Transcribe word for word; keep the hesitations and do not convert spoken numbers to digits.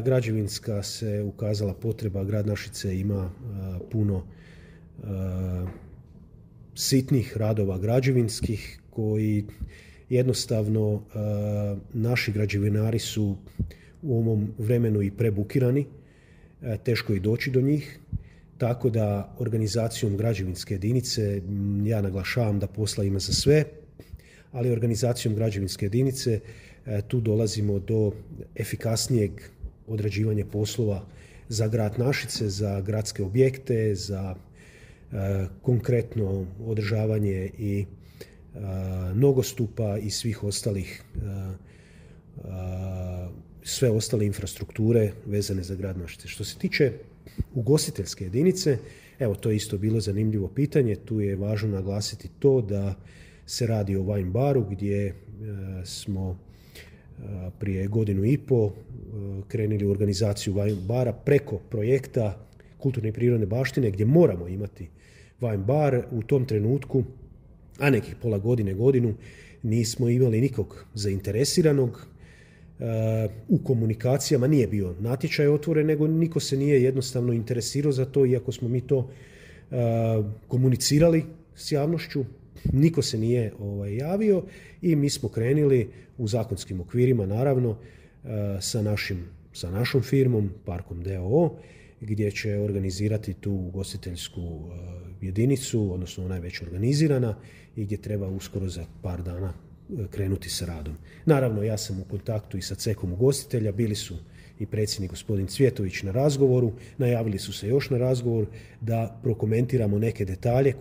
Građevinska se ukazala potreba, grad Našice ima puno sitnih radova građevinskih koji jednostavno naši građevinari su u ovom vremenu i prebukirani, teško je doći do njih, tako da organizacijom građevinske jedinice, ja naglašavam da posla ima za sve, ali organizacijom građevinske jedinice tu dolazimo do efikasnijeg odrađivanja poslova za grad Našice, za gradske objekte, za e, konkretno održavanje i e, nogostupa i svih ostalih e, e, sve ostale infrastrukture vezane za grad Našice. Što se tiče ugostiteljske jedinice, evo to je isto bilo zanimljivo pitanje, tu je važno naglasiti to da se radi o wine baru gdje e, smo prije godinu i po krenuli u organizaciju wine bara preko projekta kulturne i prirodne baštine gdje moramo imati wine bar. U tom trenutku, a nekih pola godine, godinu, nismo imali nikog zainteresiranog. U komunikacijama nije bio natječaj otvoren, nego niko se nije jednostavno interesirao za to, iako smo mi to komunicirali s javnošću. Niko se nije ovaj, javio i mi smo krenuli u zakonskim okvirima, naravno, sa, našim, sa našom firmom, Parkom d o o, gdje će organizirati tu ugostiteljsku jedinicu, odnosno ona je već organizirana i gdje treba uskoro za par dana krenuti sa radom. Naravno, ja sam u kontaktu i sa cekom ugostitelja, bili su i predsjednik gospodin Cvjetović na razgovoru, najavili su se još na razgovor da prokomentiramo neke detalje